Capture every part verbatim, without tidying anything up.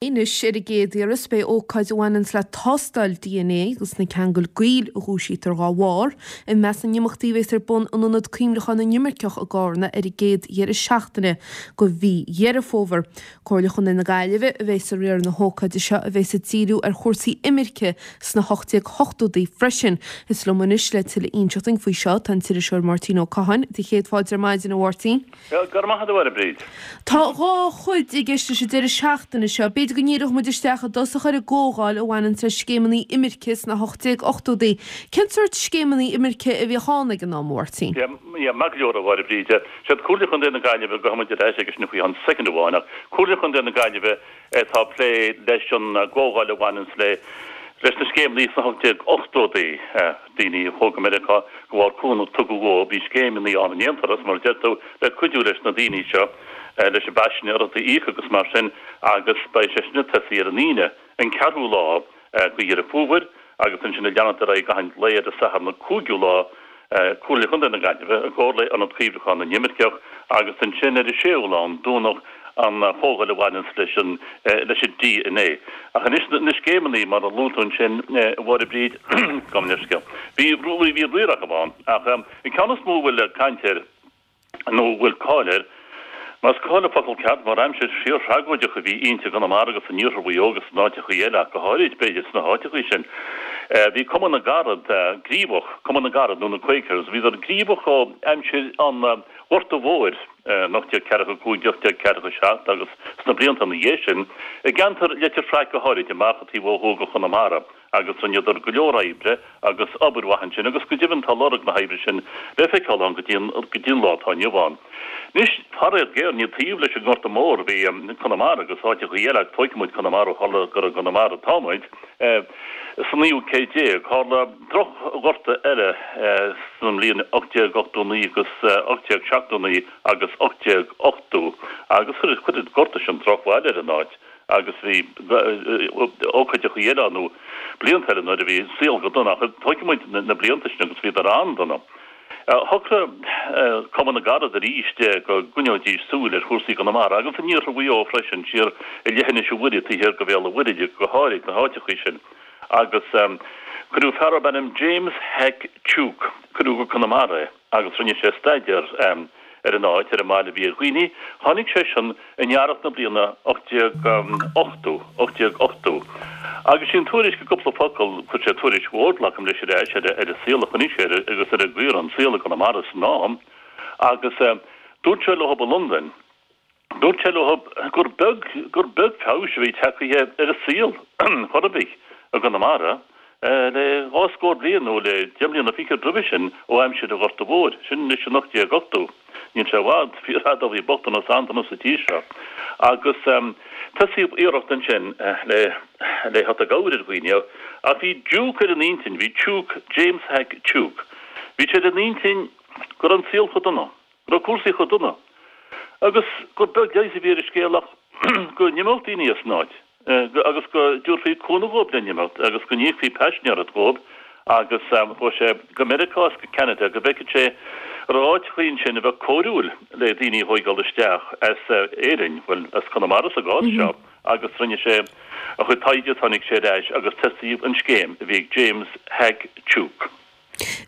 Anois ar an gcéad iarraidh beidh ócáid a bhaineanns le tástáil DNA agus na ceangail gaoil a dhúisítear dá bharr i measc na n-imeachtaí a bheas ar bun in Ionad Cuimhneacháin na nImirceach i gCarna ar an gcéad dheireadh seachtaine de mhí Dheireadh Fómhair. Comhairle Chontae na Gaillimhe a bheas ag riaradh na hócáide seo a bheas ag díriú ar chúrsaí imirce sna hocht déag hochtóidí freisin. Is liom anois le tuilleadh a inseacht dúinn faoi seo tá an t-iriseoir Máirtín Ó Catháin. Do chéad fáilte ar maidin a Mháirtín. Go raibh maith agat a Mháire Bríd. Tá dhá chuid i gceist leis an deireadh seachtaine seo. B'fhéidir go ndíreoidh muid isteach i dtosach ar an gcomhdháil a bhaineann le scéimeanna imirce sna hocht déag ochtóidí. Cén sórt scéimeanna imirce a bhíodh ann ag an am, a Mháirtín? Yeah, maith go leor a Mháire Bríd. Siad Comhairle Chontae na Gaillimhe gabhfaidh muid ar ais agus sin faoi cheann soicind amháin ach Comhairle Chontae na Gaillimhe atá ag plé leis an gcomhdháil a bhaineann le leis na scéimeanna sna hocht déag ochtóidí daoine a chuaigh go Meiriceá de bharr cúnamh a tugadh dóibh bhí scéimeanna ann in aon turas mar a deir tú le cuidiú leis na daoine seo leis an bpaisean orthu a íoc agus mar sin agus beidh sé sin ag tosaí ar an Aoine an ceathrú lá de Dheireadh Fómhair agus ansin ag leanacht ar aghaidh achan lae ar an Satharn an cúigiú lá Comhairle Chontae na Gaillimhe i gcomhar le Ionad Cuimhneacháin na nImirceach agus ansin ar an séú lá an Domhnach an chomhdháil a bhaineanns leis an leis an DNA. Ach anois na scéimeanna mar a luaigh tú ansin a Mháire Bríd gabh mo leithscéal. Bhí bhí riar acu ann ach an ceann is mó a bhfuil caint air nó a bhfuil cáil air, más cáil an focal ceart, mar aimsir fíorthragóideach a bhí inti i gConamara agus in iarthar Mhaigh Eo agus in áiteachaí eile ach go háirid, b'fhéidir, sna háiteachaí sin. Bhí Cumann na gCarad gníomhach, Cumann na gCarad nó na Quakers, bhíodar gníomhach ó aimsir an Ghorta Mhóir in ocht déag ceathracha a cúig, ocht déag ceathracha a seacht agus sna blianta ina dhiaidh sin, i gceantar Leitir Fraic go háirid, amach taobh ó thuaidh de Chonamara. agus rinneadar go leor oibre agus obair mhaith ansin agus go deimhin tá lorg na hoibre sin le feiceáil ann go dtí an go dtí an lá atá inniu ann. Anois, faraor géar, ní taobh leis an nGorta Mór a bhí Conamara agus áiteachaí eile ach tógfaidh muid Conamara ó tharla gur i gConamara atá muid. Sa naoú céad déag, tharla droch-ghorta eile sa mbliain ocht déag ochtó naoi agus ocht déag seachtó naoi agus ocht déag ochtó agus chuir chuir an gorta sin drochbhail ar an áit. agus bhí ócáideachaí eile ann nó blianta eile nuair a bhí an saol go dona ach tógfaidh muid na blianta sin agus bhíodar an-dona. Shocraigh Cumann na gCarad arís go gcoinneoidís súil ar chúrsaí i gConamara agus in iarthar Mhaigh Eo freisin, siar i leithinis an Mhuirí taobh thiar de Bhéal an Mhuirthead go háirid, na háiteachaí sin. Agus cuireadh fear darb ainm James Hack Tuke, cuireadh go Conamara é agus rinne sé staidéar ar an áit, ar an mbail a bhí ar dhaoine. Tháinig sé sin in earrach na bliana ocht déag ochtó, ocht déag ochtó. Agus sí an tuairisc i gcúpla focal, chuir sé tuairisc mhór, glacaim leis, ar ais ar an saol a chonaic sé agus ar an gcaoi a raibh an saol i gConamara san am. Agus dúirt sé leo i Londain, Dúirt sé leo gur beag gur beag feabhas a bhí tagtha ar an saol chor ar bith i gConamara le dhá scór bliain nó le deich mbliana fichead roimhe sin ó aimsir an Ghorta Mhóir, sin anois in ocht déag ochtó. Níl sé i bhfad, fíorfhada ó bhí bochtanas an-dona sa tír seo. Agus tosaíodh iarracht ansin le le theacht i gcabhair ar dhaoine ach bhí Duke ar an intinn, bhí Tuke, James Hack Tuke, bhí sé ar an intinn go raibh an saol chomh dona. go raibh cúrsaí chomh dona agus gur beag leigheas a bhí ar an scéal ach go n-imeodh daoine as an áit agus go dtabharfaí cúnamh dhóibh le n-imeacht agus go n-íocfaí paisinéireacht dhóibh agus chuaigh sé go Meiriceá is go Ceanada go bhfeicfeadh sé an raibh áiteachaí ansin a bheadh cóiriúil le daoine a thóigeáil isteach as Éirinn, bhuel, as Conamara sa gcás seo agus rinne sé a chuid taighde, tháinig sé ar ais agus tosaíodh an scéim a bhí ag James Hack Tuke.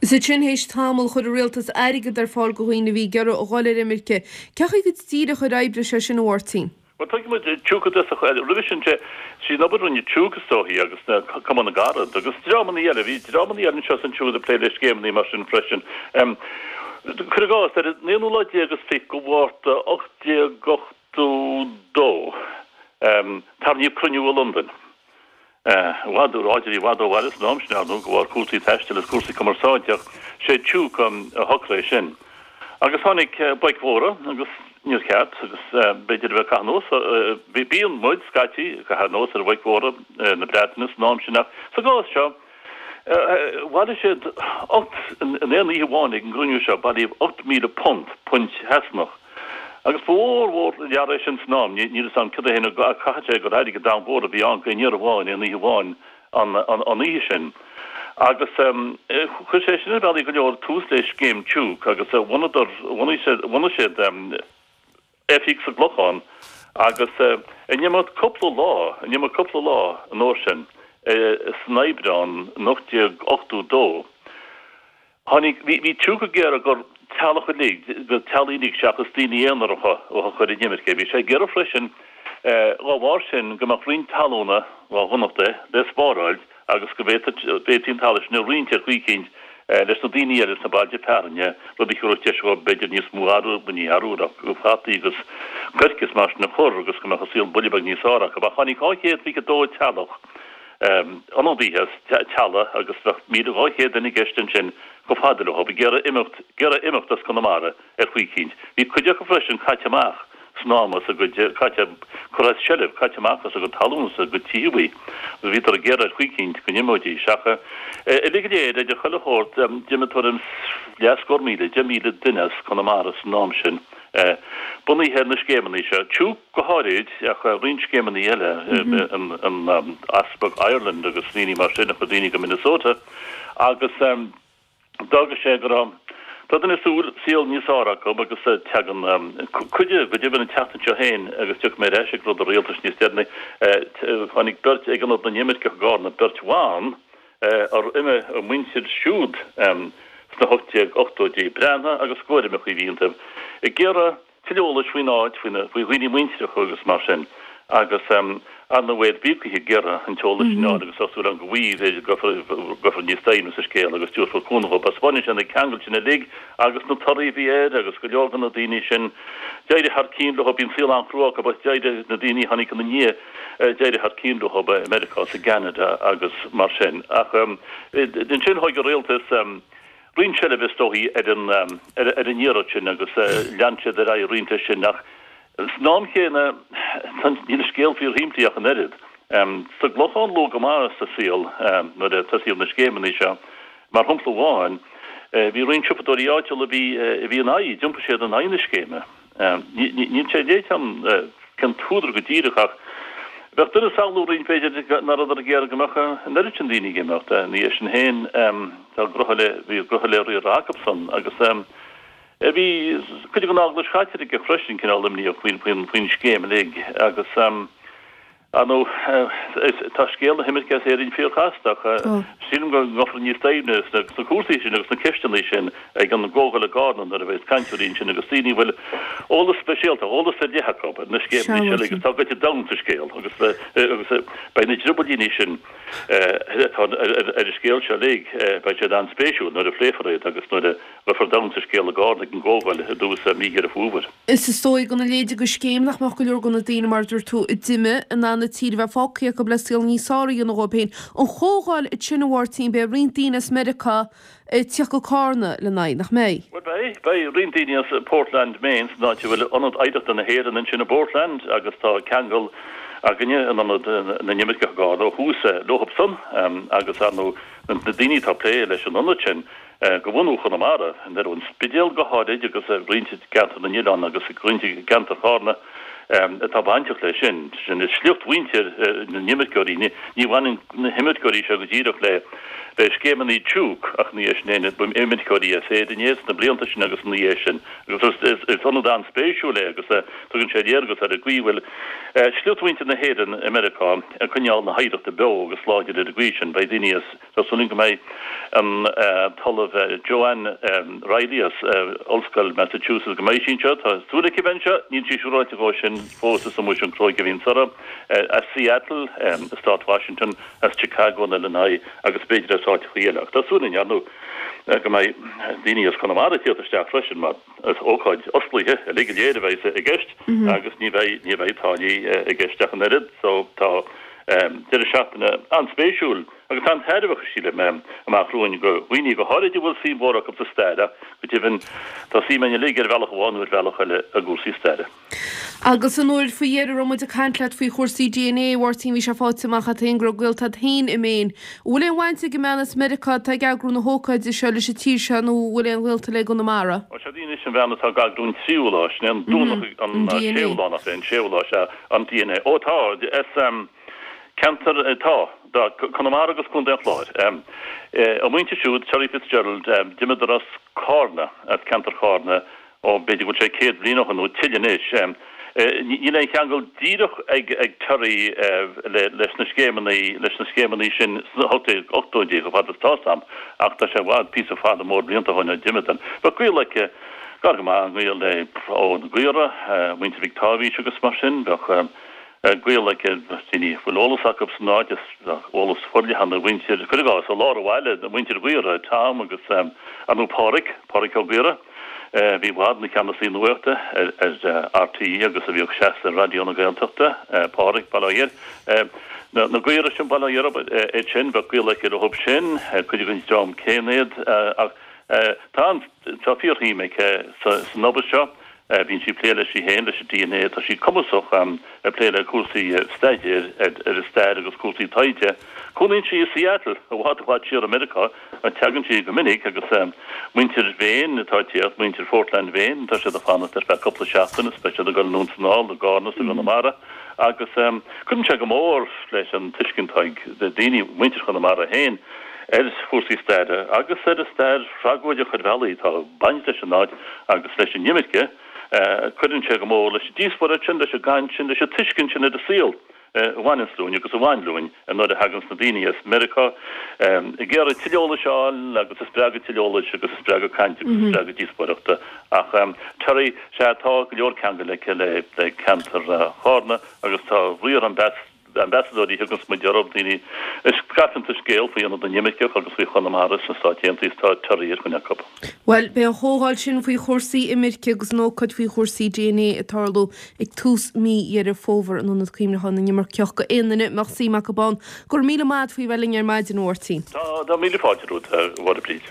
Is ansin théis tamaill chuir an rialtas airgead ar fáil do dhaoine a bhí ag iarraidh a dhul ar imirce. Cé chaoi go díreach ar oibrigh sé sin, a Mháirtín? Bhuel, tuigfidh muid Tuke i dtosach, roimhe sin, sé sí an obair a rinne Tuke is dóichí agus na Cumann na gCarad agus dreamanna eile, bhí dreamanna eile anseo is ansiúd ag plé le scéimeanna mar sin freisin. Cuir i gcás, ar an aonú lá déag is fiche de Mhárta ocht déag ochtó dó, tarraingíodh cruinniú i Londain. I bhfad, áit a bhí i bhfad ó bhaile san am sin, ar ndóigh, de bharr cúrsaí taistil is cúrsaí cumarsáide, ach sé Tuke a shocraigh é sin. Agus tháinig boic mhóra agus níor cheart, agus b'fhéidir a bheith ag caitheamh anuas, bíonn muid, scaití, ag caitheamh anuas ar bhoic mhóra na Breataine san am sin, ach sa gcás seo, Bhailigh siad ocht, in aon oíche amháin ag an gcruinniú seo, bailíodh ocht míle punt, punt Shasanach. Agus ba mhór mhór an earra é sin san am, níl fhios a'm cad é féin ach caithfidh sé gur airgead an-mhór a bhí ann d'aon iarraidh amháin, aon oíche amháin an oíche sin. Agus chuir sé sin ar bhealaí go leor tús le scéim Tuke agus bhunadar, bhunaigh siad, bhunaigh siad, oifig sa gClochán Agus in imeacht cúpla lá, in imeacht cúpla lá an uair sin, san Aibreán in ocht déag ochtó dó, tháinig, bhí, bhí Tuke ag iarraidh gur teaghlach uilig, gur teaghlaigh uilig seachas daoine aonaracha a chur in imirce. Bhí sé ag iarraidh freisin, dá bharr sin, go mbeadh roinnt talúna, dá dhonacht é, le spáráil agus go bhféadfaí an talamh sin a roinnt ar chaoi eicínt leis na daoine eile sna bailte fearainne, rud a thabharfadh deis dhóibh b'fhéidir níos mó arbhair, ní arbhar ach fataí agus coirce is mar sin a chur agus go mbeadh an saol buille beag níos fearr acu. Ach tháinig dhá chéad fiche dó teaghlach ionadaithe as teaghlaigh agus bheadh míle dhá chéad duine i gceist ansin chomh fada leo ag iarraidh imeacht, ag iarraidh imeacht as Conamara ar chaoi eicínt. Bhí cuid acu freisin caite amach san am as a gcuid, caite, curtha as seilbh, caite amach as a gcuid talún is a gcuid tithíochtaí agus bhíodar ag iarraidh ar chaoi eicínt go n-imeoidís. Ach uilig go léir, idir chuile shórt, d'imigh tuairim 's leathscór míle, deich míle duine as Conamara san am sin. Bunaithe ar na scéimeanna seo, Tuke go háirid, ach roinnt scéimeanna eile, an Easpag Ireland agus daoine mar sin a chuir daoine go Minnesota agus d'fhág sé go raibh tá duine ag súil saol níos fearr acu agus tagann cuid go deimhin an tseachtain seo féin agus tiocfaidh mé ar ais ag rud an rialtais níos deireanaí, tháinig beirt ag Ionad na nImirceach i gCarna, beirt bhan ar imigh a muintir siúd sna hocht déag ochtóidí, Breandán agus Góirmeacha a bhí iontu, ag iarraidh tuilleadh eolais faoin áit, faoi dhaoine muinteartha agus mar sin, agus ar ndóigh bhí ag iarraidh an t-eolas sin a fháil agus tá súil agam go bhfaighidh, go gcuirfear níos doimhne sa scéal agus tabharfar cúnamh dhóibh. Taispeánann sé na ceangail sin uilig agus na torthaí a bhí air agus go leor de na daoine sin, d'éirigh thar cionn leo, bíonn saol an-chrua acu ach d'éirigh na daoine a tháinig ina ndiaidh, d'éirigh thar cionn leo i Meiriceá is i gCeanada agus mar sin. Ach ansin thóg an rialtas roinnt seilbhe is dóichí ar an ar an iarracht sin agus lean siad ar aghaidh roinnt leis sin. Ach san am chéanna níl an scéal fíorshimplí ach an oiread. Sa gClochán luath go maith sa saol nuair a tosaíodh na scéimeanna seo, mar shampla amháin, bhí roinnt siopadóirí áitiúla a bhí a bhí in aghaidh, d'iompaigh siad in aghaidh na scéime. Níl sé léite agam cén t-údar go díreach ach bheadh duine ag samhlú roinnt b'fhéidir nach rabhadar ag iarraidh go mbeadh an oiread sin daoine ag imeacht. Ina dhiaidh sin féin tá gnoithe le, bhí gnoithe le riar acusan agus bhí cuid den Eaglais Chaitliceach freisin cineál imníoch faoin, faoin, faoin scéim uilig agus Ar ndóigh, tá scéal na himirce as Éirinn fíorchasta ach sílim go ngabhfar níos doimhne sna cúrsaí sin agus sna ceisteanna sin ag an gcomhdháil i gCarna nuair a bheas cainteoirí ansin agus daoine a bhfuil eolas speisialta, eolas ar leith acu ar na scéimeanna seo agus tá goite domhain sa scéal agus agus beidh na driobaillíní sin atá ar an scéal seo uilig, beidh siad an-spéisiúil nuair a phléifear iad agus nuair a ghabhfar domhain sa scéal i gCarna ag an gcomhdháil i dtús mí Dheireadh Fómhair. Is is dóigh gona leithéid de scéim nach mbeadh go leor de na daoine, mar a dúirt tú, a d'imigh, in ann an tír a bheith fágtha acu le saol níos fearr a dhéanamh dhóibh féin. An chomhdháil sin, a Mháirtín, beidh roinnt daoine as Meiriceá ag tíocht go Cárna lena aghaidh, nach mbeidh? Bhuel, beidh. Beidh roinnt daoine as Portland, Maine, san áit a bhfuil Ionad Oidhreachta na hÉireann ansin i bPortland agus tá ceangal againne in Ionad na nImirceach i gCarna ó thús leothubsan agus, ar ndóigh, na daoine atá ag plé leis an ionad sin. De bhunú Chonamara, i ndeireadh an Spidéal go háirid agus roinnt i gceantar na nOileán agus roinnt i gceantar Chárna atá bainteach leis sin. Sin is sliocht mhuintir na n-imirceoirí. Ní bhaineann na himirceoirí seo go díreach le scéimeanna Tuke ach ina dhiaidh sin ba imirceoirí as Éirinn iad sna blianta sin agus ina dhiaidh sin. Agus is ionad an-spéisiúil é agus tugann sé léargas ar an gcaoi a bhfuil sliocht mhuintir na hÉireann i Meiriceá ag coinneáil na hoidhreachta beo agus láidir ar an gcaoi sin. Beidh daoine as. Tá súil againn go mbeidh an tOllamh Joanne Reilly as Ollscoil Massachusetts, go mbeidh sí anseo. Tá súil aici bheith anseo. Níl sí siúráilte dhó sin fós. Is iomaí sin cróig a bhíonn uirthi. As Seattle i stát Washington, as Chicago in Illinois agus b'fhéidir as áiteachaí eile. Ach tá súil againn, ar ndóigh, go mbeidh daoine as Conamara ag tíocht isteach freisin mar is ócáid osclaithe uilig go léir a bheidh i gceist agus ní bheidh, ní bheidh táillí i gceist ach an oiread. So tá deireadh seachtaine an-spéisiúil agus an-tairbheach, sílim, amach romhainn do dhaoine, go háirid a bhfuil suim mhór acu sa stair ach go deimhin tá suim againn uilig ar bhealach amháin nó ar bhealach eile i gcúrsaí staire. Agus an uair faoi dheireadh a raibh muid ag caint leat faoi chúrsaí DNA, a Mháirtín, bhí sé faighte amach agat féin go raibh gaolta agat féin i Maine. An bhfuil aon bhaint ag an mbean as Meiriceá atá ag eagrú na hócáide seo leis an tír seo nó an bhfuil aon ghaolta léi i gConamara? Ó, sé anois an bhean atá ag eagrú an tríú lá, sin é an Domhnach an séú lá nach é an séú lá, sea, an DNA. Ó tá, is ceantar, tá, tá, Conamara agus Contae an Chláir. A muintir siúd, Terry Fitzgerald, d'imíodar as Cárna, as ceantar Chárna, ó b'fhéidir go bhfuil sé céad bliain ó shin nó tuilleadh anois, Níl aon cheangal díreach ag ag Terry leis na scéimeanna leis na scéimeanna sin sna hocht déag ochtóidí chomh fada is tá 'fhios a'm ach tá sé i bhfad píosa fada mór blianta ó shin ó d'imigh Dan. Bheadh gaol aici gar go maith, gaol le ó na Gaora, muintir Mhic Táibhís agus mar sin, bheadh gaol aici daoine a bhfuil eolas acu san áit is eolas forleathan ar mhuintir, cuir i gcás, i lár an bhaile, muintir Ghaora, Tom agus ar ndóigh Páraic, Páraic Ó Gaora. a bhí i bhfad ina cheannasaí nuachta ar RTÉ agus a bhíodh seasta ar Raidió na Gaeltachta, Páraic, Baile Átha Ghiorria. Na Gaora sin, Baile Átha Ghiorria iad sin, bheadh gaol aici leo sin, cuid den dream céanna iad ach tá an, tá fíorshuim aici san obair seo. Bíonn sí ag plé leis í féin, leis an DNA, tá sí cumasach ag plé le cúrsaí staidéir ar an stair agus cúrsaí taighde. Cónaíonn sí i Seattle, i bhfad i bhfad siar i Meiriceá, ach tagann sí go minic agus muintir Mhaine atá ag tíocht, muintir Phortland Mhaine, tá siad ag fanacht ar feadh cúpla seachtain is beidh siad ag dul anonn is anall i gCarna is i gConamara agus cuireann sé go mór leis an tuiscint atá ag daoine, muintir Chonamara féin, ar chúrsaí staire agus ar an stair thragóideach ar bhealaí atá ag baint leis an áit agus leis an imirce. Cuireann sé go mór leis an díospóireacht sin, leis an gcaint sin, leis an tuiscint sin ar an saol a bhaineanns linn agus a bhain linn nuair a thaganns na daoine as Meiriceá ag iarraidh tuilleadh eolais a fháil agus is breá an tuilleadh eolais agus is breá an caint agus is breá an díospóireachta. Ach Terry, sea, tá go leor ceangail aici le ceantar Chárna agus tá riar an ambasadóirí a thuganns muid orthu, daoine a scaipeanns an scéal faoi Ionad na nImirceach agus faoi Chonamara sna Stáit Aontaithe, tá Terry ar dhuine acu. Bhuel, beidh an chomhdháil sin faoi chúrsaí imirce agus an ócáid faoi chúrsaí DNA ag tarlú ag tús mí Dheireadh Fómhair in Ionad Cuimhneacháin na nImirceach go aon duine a mbeadh suim acu ann. Go raibh míle maith agat faoi bheith linn ar maidin, a Mháirtín. Tá, tá míle fáilte romhat, a Mháire Bríd.